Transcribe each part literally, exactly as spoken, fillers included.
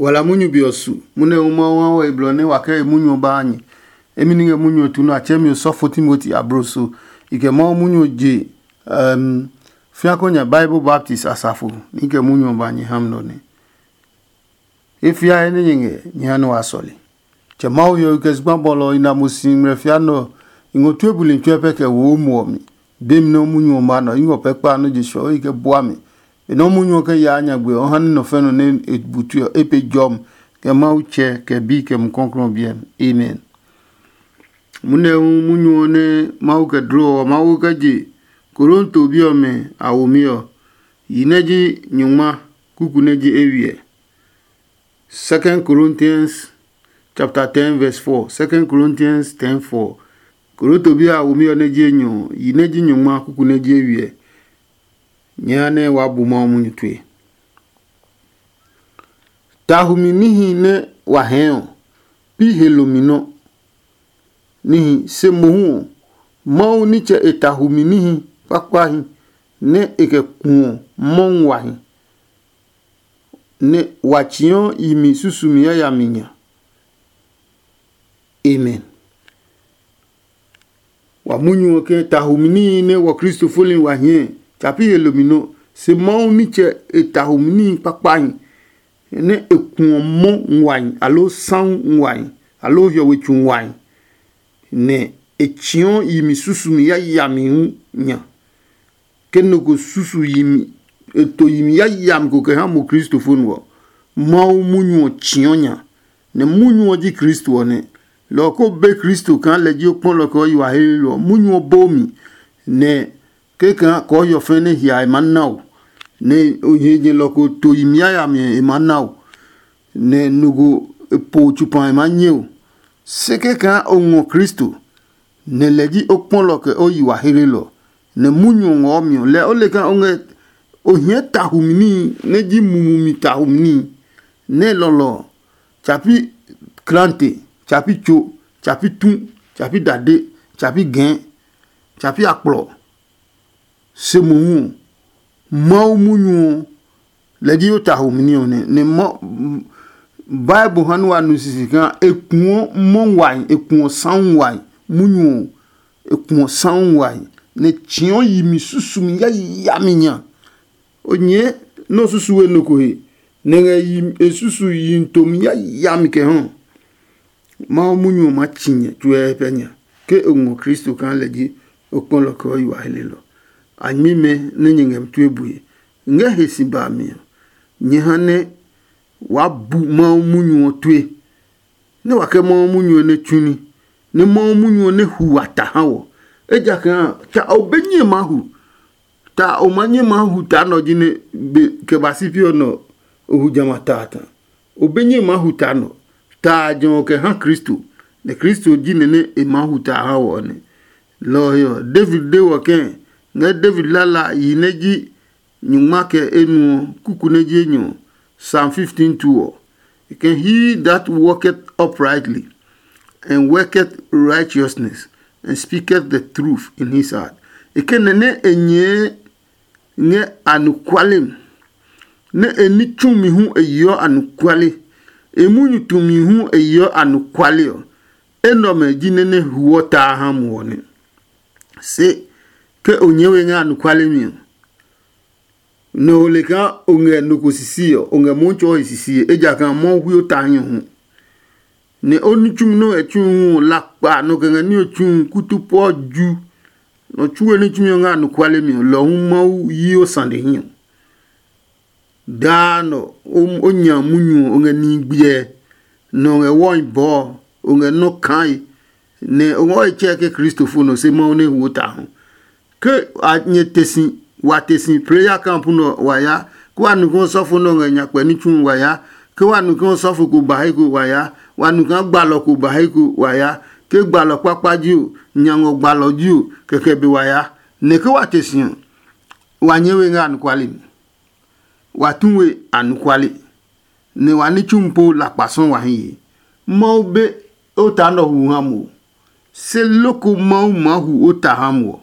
Wala munyu be ɔ su, munɛ hu Mawu ha wɔ e blɔ nɛ wa kɛ e munyu ɔ ba a nyɛ. Emi ni ngɛ munyu ɔ tu nɛ a tsɛɛ mi osɔfo Timoti abloso. I kɛ Mawu munyu ɔ je um, fiako nya Bible Baptist asafo ni kɛ munyu ɔ ba nyɛ ha mi nɔ nɛ. E fiae nɛ nyɛ ngɛ nyɛ ha nɛ wa sɔle. Tsɛ Mawu hiɔwe kɛ zugba bɔlɔ ɔ i na mo si ngmlɛ fia nɛ ɔ, i ngɔ tue buli tsuɛ pɛ kɛ wo o muɔ mi. Be mi nɛ o munyu ɔ ma nɔ, i ngɔ pɛ kpa nɔ́ je suɔ e kɛ bua mi. Benɛ o munyu ɔ kɛ yaa nyagbe ɔ, ha nɛ nɔ fɛ nɔ nɛ e bu tue ɔ, e pe jɔmi kɛ Mawu Tsɛ kɛ Bi kɛ Mumi Klɔuklɔu ɔ biɛ mi. Amen. Munɛ hu munyu ɔ nɛ Mawu kɛ dlɔ ɔ, Mawu kɛ je Korinto bi ɔmɛ a womi ɔ, yi nɛ ji nyɔngma kuku nɛ ji eywiɛ. Second Corinthians chapter ten verse four. Second Corinthians ten four. Korinto bi a womi ɔ nɛ ji enyɔ, yi nɛ ji nyɔngma kuku nɛ ji eywiɛ. Nyɛ ha nɛ waa bu Mawu munyu tue. Tahumi níhi nɛ wa hɛɛ ɔ, pi he lomi nɔ. Níhi se mohu ɔ, Mawu nitsɛ e tahumi níhi kpakpahi nɛ e kɛ kuɔ mɔ nguahi, nɛ wa tsiɔ yi mi susumi yayami nya. Amen. Wa munyu ɔ ke tahumi níhi nɛ wɔ Kristo foli wa hiɛ tsa pi he lomi nɔ, se Mawu nitsɛ e tahumi níhi kpakpahi nɛ e kuɔ mɔ nguahi aloo sahu nguahi aloo hiɔwe tsu nguahi, nɛ e tsiɔ yi mi susumi yayami hu nya. Ke nɔ ko susu yi mi, e to yi mi yayami ko kɛ ha mo kristofo nɔ ɔ, Mawu munyu ɔ tsiɔ nya, nɛ munyu ɔ ji Kristo ɔ nɛ. Lɔ ɔ ko be Kristo kaa lɛ ji o kpɔlɔ kɛ o yi wa helenɔ ɔ, munyu ɔ boo mi, nɛ kɛkaa kɔɔhiɔ fɛ̃ nɛ hia e maa na o, nɛ o nyɛ lɔ ko to yi mi yayami ɔ e maa na o, nɛ nɔ ko po tsupa e maa nyɛ o. Se kɛkaa o ngɔ Kristo, nɛ lɛ ji o kpɔlɔ kɛ o yi wa helenɔ, nɛ munyu ɔ ngɔɔ mi ɔ, lɛɛ o le kaa o ngɛ o hiɛ tahumi níhi nɛ ji mumi mi tahumi níhi, nɛ lɔlɔ ɔ, tsa pi klante, tsa pi tso, tsa pi tu, tsa pi dade, tsa pi gɛɛ, tsa pi akplɔ. Se mohu ɔ, Mawu munyu ɔ, lɛ ji o tahumi ní ɔ nɛ, nɛ ma Bible ha nɛ wa nu sisi kaa e kuɔ mɔ nguahi, e kuɔ sahu nguahi, munyu ɔ, e kuɔ sahu nguahi, nɛ tsiɔ yi mi susumi yayami nya. O nyɛɛ nɛ o susu we nɔ ko he, nɛ ngɛ yi e susu yi tomi yayami kɛ hɔ. Mawu munyu ɔ maa tsi nyɛ tsuɛ pɛ nya, ke o ngɔ Kristo kaa lɛ ji o kpɔlɔ kɛ o yi wa helelɔ. A nyɛmimɛ nɛ nyɛ ngɛ mi tue bue. Ngɛ he si ba mi ɔ, nyɛ ha nɛ waa bu Mawu munyu ɔ tue, nɛ wa kɛ Mawu munyu ɔ nɛ tsu ní, nɛ Mawu munyu ɔ nɛ hu wa ta ha wɔ. Ejakaa ta o be nyɛ maa hu. Ta o ma nyɛ maa hu ta nɔ ji nɛ be kɛ ba si pi ɔ nɔ o hu jamɛ a ta a ta. O be nyɛ maa hu ta nɔ, ta a jɔ ɔ kɛ ha Kristo, nɛ Kristo ji nɛ nɛ e maa hu ta a ha wɔ ɔ nɛ. Lɔ ɔ he ɔ, David de wɔ kɛ̃ ngɛ David lala yi nɛ ji nyungma kɛ enuɔ kuku nɛ ji enyɔ ɔ, Psalm fifteen two ɔ. E kɛ, "He that walketh uprightly and worketh righteousness and speaketh the truth in his heart." E kɛ nɛ nɛ e nyɛɛ ngɛ anɔkuale mi, nɛ e ní tsumi hu e yeɔ anɔkuale, e munyu tumi hu e yeɔ anɔkuale ɔ, enɛ ɔmɛ ji nɛ nɛ huɔ ta a ha muɔ nɛ. Se ke o nyɛɛ we ngɛ anɔkuale mi ɔ, nɛ o le kaa o ngɛ nɔ ko sisi ɔ, o ngɛ Mɔɔ tsɔɔ he sisi, ejakaa Mɔɔ hui o ta hi ɔ hu. Nɛ o ní tsumi nɛ o ngɛ tsu hu ɔ, lakpa nɔ kɛ ngɛ ní ɔ tsu hu kutu pɔ ju. Nɔ tsuwe ní tsumi ɔ ngɛ anɔkuale mi ɔ, lɔ hu Mawu yi o sane hi ɔ. Daa nɔ o nya munyu ɔ, o ngɛ nihi gbiɛ, nɛ o ngɛ wɔhi bɔɔ, o ngɛ nɔ́ kaa, nɛ o ngɛ wɔhi tsɛɛ ke kristofo nɔ, se Mawu nɛ huo ta hu. Ke a nyɛ te si, wa te si prayer camp nɔ wa ya, ke wa nu ke osɔfo nɛ ɔ ngɛ nyakpɛ ní tsu wa ya, ke wa nu ke osɔfo ko ba he ko wa ya, wa nu kaa gbalɔ ko ba he ko wa ya, ke gbalɔ kpakpa ji o, nya ngɔ gbalɔ ji o, kɛkɛ be wa ya. Nɛ ke wa te si ɔ, wa nyɛɛ we ngɛ anɔkuale mi. Wa tu we anɔkuale, nɛ wa ní tsu po lakpa sɔ́ wa hi ye. Mawu be o ta nɔ hu ha mo, se loko Mawu maa hu o ta ha mo ɔ,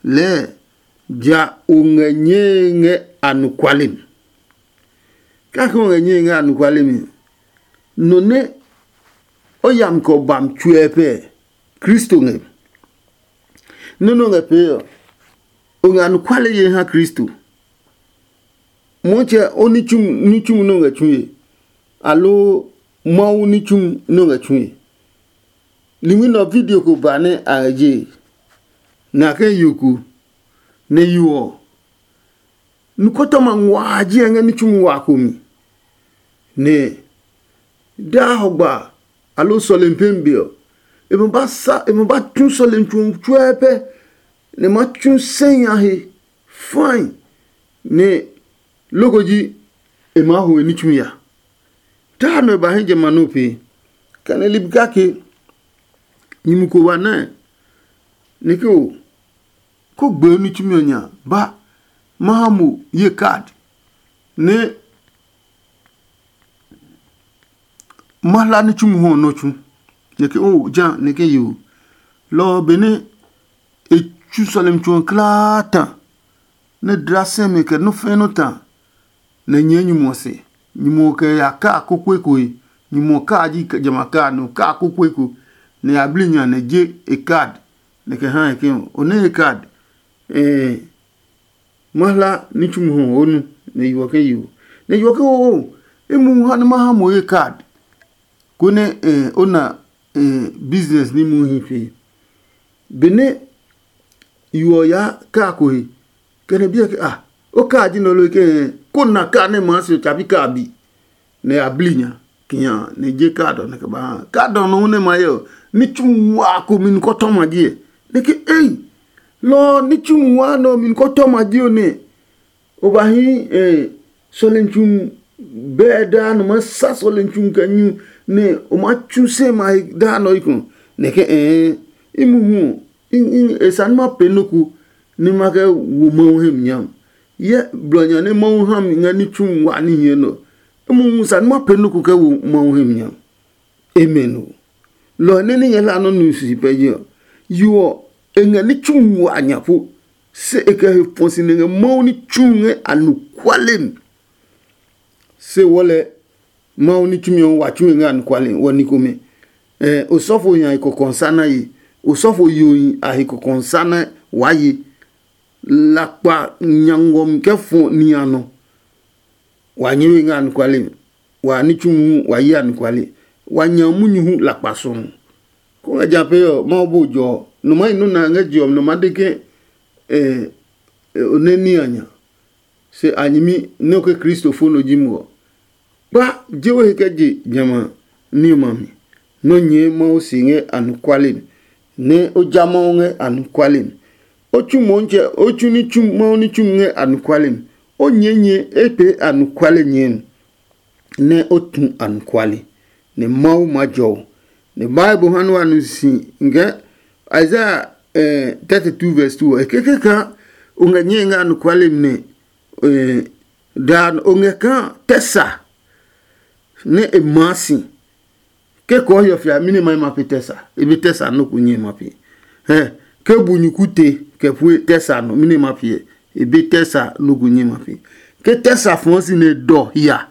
lɛɛ ja o ngɛ nyɛe ngɛ anɔkuale mi. Kake o ngɛ nyɛe ngɛ anɔkuale mi ɔ, nɔ nɛ o yami kɛ o bami tsuɛ pɛ, Kristo ngɛ. Nɔ́ nɛ o ngɛ pee ɔ, o ngɛ anɔkuale ye ha Kristo. Motsɛ o ní tsumu ní tsumu nɛ o ngɛ tsue, aloo Mawu ní tsumu nɛ o ngɛ tsue. Ligbi nɛ ɔ video ko ba nɛ a ngɛ je, nɛ a kɛ yo ko, nɛ yo ɔ, nukɔtɔma nguaa ji ɛ ngɛ ní tsumu wa ko mi. Nɛ daa hɔgba aloo sɔlemi pemi be ɔ, e ma ba sa e ma ba tsu sɔlemi tsu ɔ tsuɛɛ pɛ, nɛ ma tsu sɛhi a he fãi, nɛ loko ji e maa ho e ní tsumi ya. Taa nɔ e ba hɛ jamɛ a nɔ pee, kɛ nɛ ligbi kake nyumu ko wa nɛ nɛ ke o ko gbee ní tsumi ɔ nya ba ma ha mo ye kad nɛ ma hla ní tsumi hɔ nɔ tsu. Nɛ ke o ja nɛ ke yo lɔ benɛ e tsu sɔlemi tsu ɔ klaa ta, nɛ dla sɛmɛ kɛ nɔ́ fɛ̃ nɔ́ ta, nɛ nyɛɛ nyumu ɔ se. Nyumu ɔ kɛ ya kaa kokoeko he. Nyumu ɔ kaa ji jamɛ a kaa nɛ ɔ kaa kokoeko, nɛ ya bli nya nɛ je e kad, nɛ kɛ ha e ke, o nɛ e kad, ɛɛ ma hla ní tsumi hɔ o nu. Nɛ yo ɔ ke yo, nɛ yo ɔ ke oo, e mu ha nɛ ma ha mo ye kad, konɛ ɛɛ o na ɛɛ business ní mu hi pe. Benɛ yo ɔ yaa kaa ko he, kɛ nɛ biɛ ke ah, o kaa ji nɛ lo ke ko na kaa nɛ maa se tsapi kaa bi, nɛ a bli nya kinya nɛ je kaa dɔ nɛ kɛ ba ha kaa dɔ nɔ nɛ ma ye ɔ, ní tsu wa ko mi nukɔtɔ ma ji ɛ. Nɛ ke ei, lɔ ní tsu wa nɔ mi nukɔtɔ ma ji ɔ nɛ o ba hi eh, sɔlemi tsu bɛɛ daa nɔ ma sa sɔlemi tsu kɛ nyu, nɛ o ma tsu se ma he daa nɔ ikɔ. Nɛ ke ɛɛ i mu hu ɔ, e sa nɛ ma pee nɔ ko nɛ ma kɛ wo Mawu hɛ mi nya. Yɛ blɔ nya nɛ Mawu ha mi ngɛ ní tsu wa ní hiɛ nɔ. E mu hu sa nɛ ma pee nɔ ko kɛ wo Mawu hɛ mi nya. Amen o. Lɔ ɔ nɛ ní nyɛ hla nɔ́ nu sisi pɛ je ɔ, yo ɔ, e ngɛ ní tsu wa nya po, se e kɛ he fɔ si nɛ ngɛ Mawu ní tsu ngɛ anɔkuale mi. Se wɔ lɛ Mawu ní tsumi ɔ wa tsu e ngɛ anɔkuale wɔ ní komɛ. Osɔfo nya he kɔkɔ sa na ye. Osɔfo yohi a he kɔkɔ sa na waa ye. Lakpa nya ngɔmi kɛ fɔ ni a nɔ. Wa nyɛ we ngɛ anɔkuale mi. Wa ní tsu hu wa yi anɔkuale. Wa nya munyu hu lakpa sɔɔ. Kó ngɛ ja pee ɔ, Mawu bo jɔ ɔ. Nɔ ma yi nɔ́ nɛ a ngɛ je ɔ mi nɔ ma de ke o nɛ ní a nya. Se a nyɛmi nɛ o ke Kristo fo nɔ ji mo ɔ. Kpa je we he kɛ je jamɛ a ní ɔmɛ a mi. Nɔ́ nyɛɛ Mawu se ngɛ anɔkuale mi, nɛ o ja Mawu ngɛ anɔkuale mi. O tsu Motsɛ o tsu ní tsu Mawu ní tsumi ngɛ anɔkuale mi. O nyɛɛ nyɛ e pee anɔkuale nyɛɛ mi, nɛ o tu anɔkuale, nɛ Mawu maa jɔ o. Nɛ Bible ha nɛ wa nu si ngɛ Isaiah eh, thirty-two verse two ɔ, e keke kaa o ngɛ nyɛe ngɛ anɔkuale mi nɛ eh, daa o ngɛ kaa tɛ sa nɛ e maa si. Ke kɔɔ hiɔ fia mɛni ma ma pe tɛ sa? E be tɛ sa nɔ ko nyɛ ma pe. Hɛ, ke bu nyuku te kɛ pue tɛ sa nɔ mɛni ma pe? E be tɛ sa nɔ ko nyɛ ma pe. Ke tɛ sa fɔɔ si nɛ dɔ hia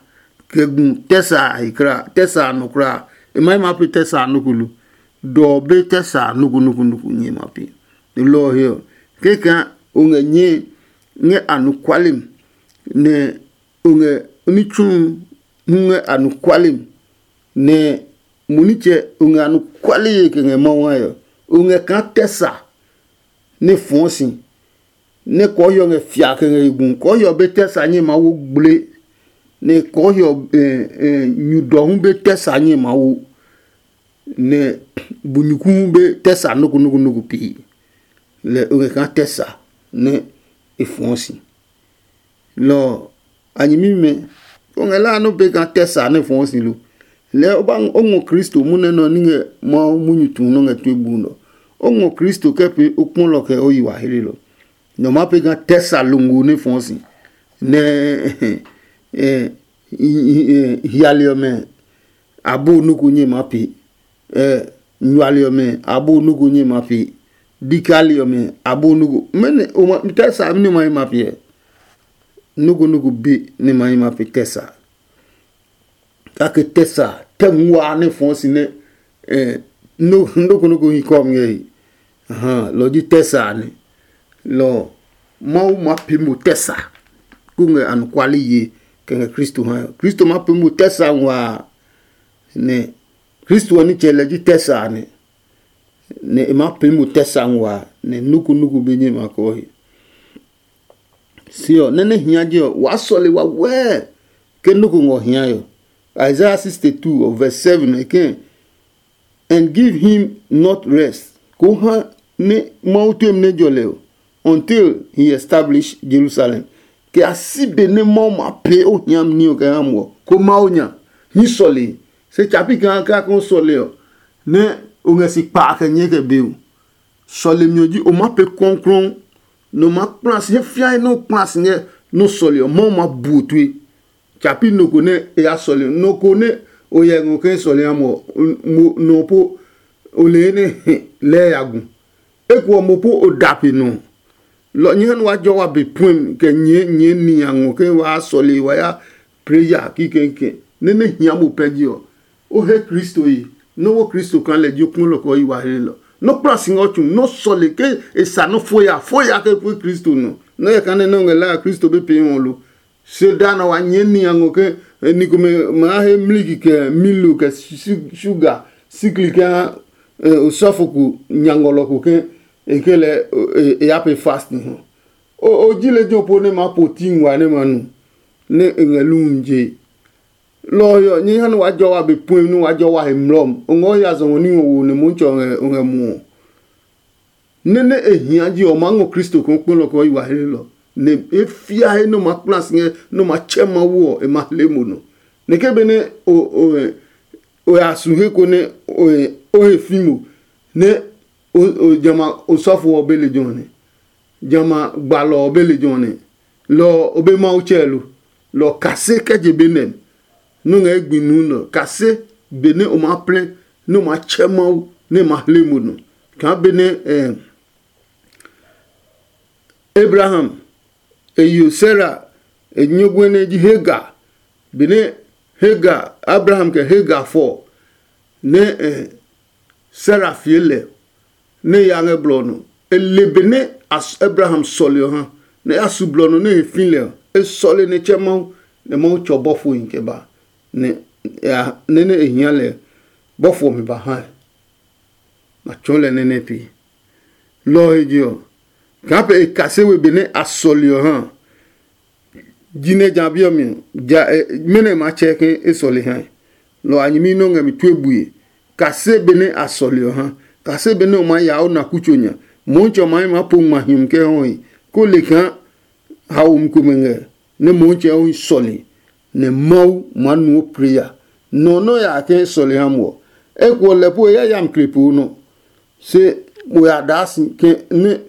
kɛ gu tɛ sa a he kra tɛ sa a nɔ kra, e ma ma pe tɛ sa nɔ ko lo. Dɔ be tɛ sa nɔ ko nɔ ko nɔ ko nyɛ ma pe. Lɔ ɔ he ɔ, kɛkɛ o ngɛ nyɛ ngɛ anɔkuale mi, nɛ o ngɛ ní tsu hu ngɛ anɔkuale mi, nɛ mo nitsɛ o ngɛ anɔkuale ye kɛ ngɛ Mawu ngɛ ɔ, o ngɛ kaa tɛ sa nɛ fɔɔ si, nɛ kɔɔhiɔ ngɛ fia kɛ ngɛ he gu. Kɔɔhiɔ be tɛ sa nyɛ ma wo gble, nɛ kɔɔhiɔ nyu dɔ hu be tɛ sa nyɛ ma wo, nɛ bu nyuku hu be tɛ sa noko noko noko pii. Lɛ o ngɛ kaa tɛ sa nɛ e fɔɔ si. Lɔ ɔ, a nyɛmimɛ, o ngɛ la nɔ be kaa tɛ sa nɛ fɔɔ si lo? Lɛɛ o ba o ngɔ Kristo munɛ nɔ ní ngɛ Mawu munyu tu nɔ ngɛ tue bu nɔ. O ngɔ Kristo kɛ pee o kpɔlɔ kɛ o yi wa hlelɔ. Nɔ ma pe kaa tɛ sa longo nɛ fɔɔ si, nɛ hiali ɔmɛ abo noko nyɛ ma pee. Nyuali ɔmɛ abo noko nyɛ ma pee. Dikali ɔmɛ abo noko. Mɛnɔ o ma tɛ sa nɛ ma yi ma pee? Noko noko be nɛ ma yi ma pee tɛ sa. Kake tɛ sa tɛ nguaa nɛ fɔɔ si nɛ nɔ́ ko nɔ́ ko hi kɔmi ngɛ he. Lɔ ji tɛ sa a nɛ. Lɔ Mawu maa pee mo tɛ sa, kó ngɛ anɔkuale ye kɛ ngɛ Kristo ha ɔ. Kristo maa pee mo tɛ sa nguaa, nɛ Kristo ɔ nitsɛ lɛ ji tɛ sa a nɛ. Nɛ e maa pee mo tɛ sa nguaa, nɛ nɔ́ ko nɔ́ ko be nyɛ ma kɔɔ he. Se ɔ, nɛ nɛ hia je ɔ, waa sɔle wawɛɛ ke nɔ́ ko ngɔ hiae ɔ. Isaiah sixty-two ɔ, verse seven e kɛ̃, "And give him not rest," ko ha nɛ Mawu tue mi nɛ jɔ lɛ ɔ, "until he establish Jerusalem." Kɛ a si be nɛ Mawu ma pee o hiami ní ɔ kɛ ha mo ɔ, ko Mawu nya hí sɔlee. Se tsa pi kaa kaa ko sɔlee ɔ, nɛ o ngɛ si kpaa kɛ nyɛɛ kɛ be o. Sɔlemi ɔ ji o maa pee kɔɔklɔɔ, nɛ o maa kpla si he fiae nɛ o kpla si ngɛ nɔ́ sɔle ɔ, Mawu maa bu o tue. Tsa pi nɔ ko nɛ e ya sɔle, nɔ ko nɛ o hyɛ ngɔ ke sɔle ha mo ɔ, mo nɔ po o le nɛ lɛɛ ya gu. Eko ɔ mo po o da pe nɔ. Lɔ nyɛ ha nɛ wa jɔ wa be puɛmi kɛ nyɛɛ nyɛɛ ni a ngɔ ke waa sɔle wa ya preya kikɛkɛ nɛ nɛ hia mo pɛ ji ɔ. O he Kristo yi, nɔ́ wo Kristo kaa lɛ ji o kpɔlɔ kɛ o yi wa hlelɔ. Nɔ́ kpla si ngɛ o tsu, nɔ́ sɔle ke e sa nɔ́ foya foya ke pue Kristo nɔ. Nɔ́ yɛ kaa nɛ nɛ o ngɛ laa Kristo be pee ngɔ lo. Se da nɔ wa nyɛɛ ni a ngɔ ke ni komɛ maa he mliki kɛ milo kɛ shuga sikli kɛ ha osɔfo ko nya ngɔlɔ ko ke e ke lɛ e ya pe fasting hɔ. O ji lejɛ po nɛ maa po ti ngua nɛ ma nu nɛ e ngɛ lumi je. Lɔ ɔ he ɔ, nyɛ ha nɛ waa jɔ wa be puɛmi nɛ waa jɔ wa he mlɔm. O ngɔ ya zɔngɔ ní ngɔ wo nɛ Mɔntsɛ ɔ ngɛ o ngɛ muɔ. Nɛ nɛ e hia ji ɔ, maa ngɔ Kristo kaa kpɔlɔ kaa yi wa hlelɔ, nɛ e fia he nɛ o ma kpla si ngɛ nɛ o ma tsɛ Mawu ɔ, e ma hle mo nɔ. Nɛ ke benɛ o o o ya su he ko nɛ o o he fi mo, nɛ o o jamɛ osɔfo ɔ be lejɛ ɔ nɛ, jamɛ gbalɔ ɔ be lejɛ ɔ nɛ, lɔ ɔ o be Mawu tsɛɛ lo. Lɔ ɔ kase kɛ je be nɛ nɛ o ngɛ gbi nuu nɛ ɔ kase benɛ o maa plɛ nɛ o maa tsɛ Mawu nɛ e ma hle mo nɔ. Kaa benɛ eh, Abraham e yo Sara e nyɔguɛ nɛ ji Hagar. Benɛ Hagar, Abraham kɛ Hagar fɔ nɛ eh, Sara fie lɛ nɛ e ya ngɛ blɔ ɔ nɔ. E le benɛ Abraham sɔle ɔ ha, nɛ e ya su blɔ ɔ nɔ nɛ e he fi lɛ ɔ, e sɔle nɛ e tsɛ Mawu, nɛ Mawu tsɔ bɔfohi kɛ ba, nɛ nɛ nɛ e hia lɛ bɔfo ɔmɛ ba hae. Ma tsɔɔ lɛ nɛ nɛ pee. Lɔ ɔ he je ɔ, kaa pɛ e kase we benɛ a sɔle ɔ ha. Jinɛ ja bi ɔ mi ɔ, ja mɛnɔ e maa tsɛ ke e sɔle hae? Lɔ a nyɛmi nɛ o ngɛ mi tue bue, kase benɛ a sɔle ɔ ha, kase benɛ o maa ya o na kutso nya. Mɔɔtsɛ ɔ maa maa po ngma hiɔmi kɛ hɔe, ko le kaa haomi komɛ ngɛ nɛ Mɔɔtsɛ ɔ hi sɔle, nɛ Mawu maa nuɔ preya. Nɔ nɛ o ya ke sɔle ha mo ɔ, eko ɔ lɛ po e yayami kle poo nɔ. Se mo ya daa si ke nɛ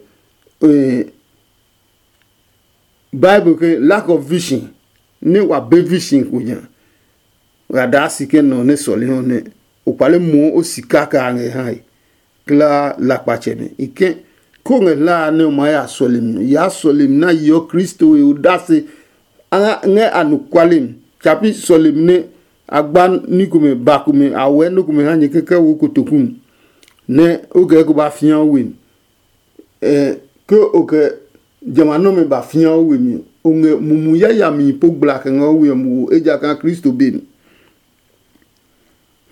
Bible ke lack of vision, nɛ wa be vision ko nya. Wa daa si ke nɔ nɛ sɔle hɔ nɛ o kpale muɔ o sika kɛ a ngɛ hae. Klaa lakpatsɛmɛ i ke ko ngɛ hlaa nɛ o maa ya sɔlemi ɔ, yaa sɔlemi na yeɔ Kristo he odase ngɛ anɔkuale mi. Tsapi sɔlemi nɛ a gba ní komɛ ba komɛ a wɛɛ nɔ́ komɛ ha nyɛ kɛkɛ wo kotoku mi, nɛ o kɛ ko ba fĩa o we mi. Ke o kɛ jamɛ a nɔmɛ ba fĩa o we mi ɔ, o ngɛ mumi yayami po gbla kɛ ngɛ o we ɔ muwo, ejakaa Kristo be mi.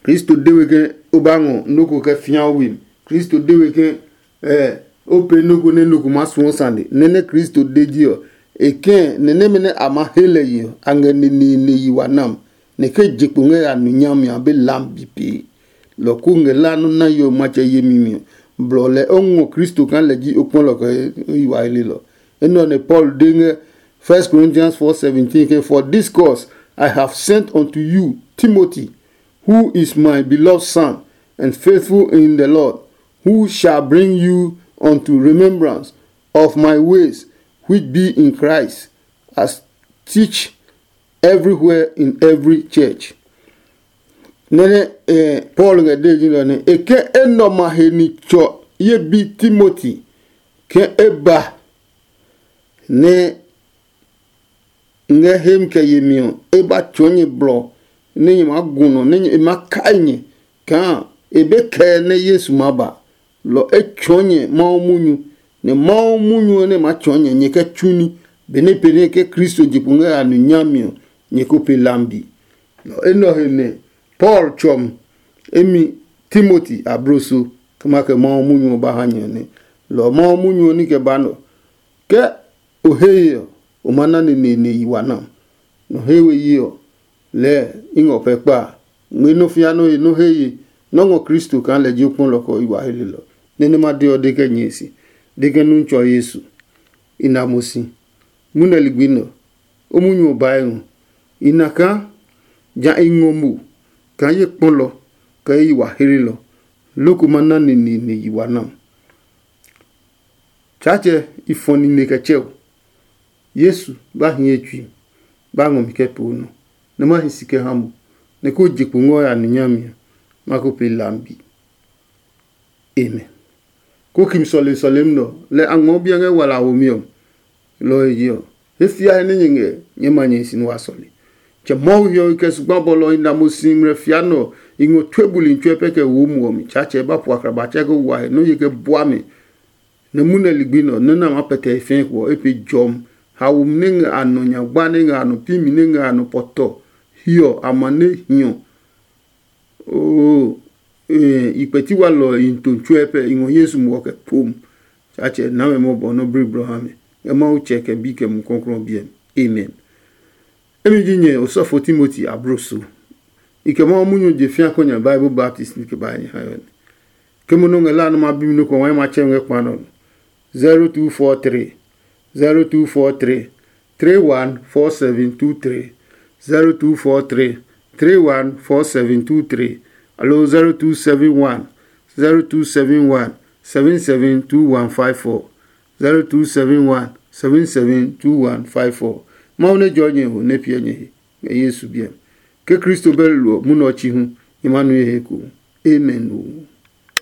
Kristo de we ke o ba ngɔ nɔ́ ko kɛ fĩa o we mi. Kristo de we ke o pee nɔ́ ko nɛ nɔ ko maa suɔ sane. Nɛ nɛ Kristo de ji ɔ, e kɛɛ nɛ nɛmɛ nɛ a maa he lɛ yi ɔ, a ngɛ neneene yi wa nam. Nɛ ke je kpo ngɛ ya nu nyami a be lam bi pee. Lɔ ko ngɛ la nɔ́ na yo matsɛ yemi mi ɔ, blɔ lɛ o ngɔ Kristo kaa lɛ ji o kpɔlɔ kɛ yi wa he lelɔ. Enɛ ɔ nɛ Paul de ngɛ First Corinthians four seventeen ke, "For this cause I have sent unto you Timothy, who is my beloved son and faithful in the Lord, who shall bring you unto remembrance of my ways which be in Christ, as teach everywhere in every church." Nɛnɛ eh, Paul ngɛ de ji nɔ ne e ke enɔ ma he ni tsɔ ye bi Timoti ke e ba ne ngɛ hem kɛ yemi ɔ, e ba tsɔɔ nyɛ blɔ nɛ nyɛ maa gu nɔ, nɛ e ma kai nyɛ kaa e be kɛɛ nɛ Yesu maa ba. Lɔ e tsɔɔ nyɛ Mawu munyu, nɛ Mawu munyu ɔ nɛ maa tsɔɔ nyɛ nyɛ kɛ tsu ní, benɛ pee nɛ ke Kristo je kpo ngɛ a nu nyami ɔ, nyɛ ko pe lambi. Lɔ enɛ ɔ he nɛ Paul tsɔm emi Timoti abloso kɛ ma kɛ Mawu munyu ɔ ba ha nyɛ nɛ. Lɔ Mawu munyu ɔ ní kɛ ba nɔ. Ke o he ye ɔ, o ma na neneene yi wa nam. Nɔ he we yi ɔ, lɛɛ i ngɔ pɛ kpa a. Ngmɛ́ nɔ́ fĩa nɔ́ he nɔ́ he ye nɔ́ ngɔ Kristo kaa lɛ ji o kpɔlɔ kɛ ɔ yi wa he lelɔ. Nɛ nɛ ma de ɔ de kɛ nyɛe si, de kɛ nu tsɔ Yesu. I na mo si. Munɛ ligbi nɛ ɔ, o munyu ɔ bae ngɔ. I na kaa ja i ngɔ mo kaa ye kpɔlɔ kɛ ye yi wa he lelɔ. Loko ma na neneene yi wa nam. Tsaatsɛ i fɔ nine kɛ tsɛ o. Yesu ba hi ye tsui, ba ngɔ mi kɛ poo nɔ, nɛ ma hi si kɛ ha mo, nɛ ko je kpo ngɔ ya nu nyami ɔ, ma ko pe lambi. Amen. Ko kim sɔlemi sɔlemi nɔ lɛ a ngmɔ biɛ ngɛ wala a womi ɔ. Lɔ ɔ he je ɔ, he fiae nɛ nyɛ ngɛ nyɛɛ ma nyɛ hi si nɛ wa sɔle. Tsɛ Mawu hiɔwe kɛ zugba bɔlɔ ɔ hi na mo si ngmlɛ fia nɛ ɔ, i ngɔ tue buli tsuɛ pɛ kɛ wo muɔ mi. Tsaatsɛ ba pu akraba tsɛ kɛ wa he nɔ́ ye kɛ bua mi. Nɛ munɛ ligbi nɛ ɔ, nɔ́ nɛ a maa pɛtɛ he fɛɛ kpo ɔ, e pe jɔmi. Haomi nɛ ngɛ a nɔ nyagba nɛ ngɛ a nɔ pimi nɛ ngɛ a nɔ pɔtɔ hiɔ a ma nɛ hiɔ. Oo, i kpɛti walɔ ɔ i to tsuɛ pɛ i ngɔ Yesu muɔ kɛ pom. Tsaatsɛ na mɛ mɔbɔ nɔ́ briblɔ ha mɛ ngɛ Mawu Tsɛ kɛ Bi kɛ Mumi Klɔuklɔu ɔ biɛ mi. Amen. Emi ji nyɛ osɔfo Timoti abloso. I kɛ Mawu munyu je fĩa kɔ nya Bible baptist nɛ ke ba nyɛ ha ɔ nɛ. Ke mo nɔ ngɛ la nɛ ma bi mi nɔ ko wa ma tsɛ ngɛ kpa nɔ. zero two four three, zero two four three, three one four seven two three, zero two four three, three one four seven two three, alo zero two seven one, zero two seven one, seven seven two one five four, zero two seven one, seven seven two one five four. Mawu nɛ jɔ nyɛ ho nɛ piɛ nyɛ he ngɛ Yesu biɛ. Ke Kristo bɛ lolo ɔ, munɛ ɔ chi hu, nyɛ ma nue he ko. Amen.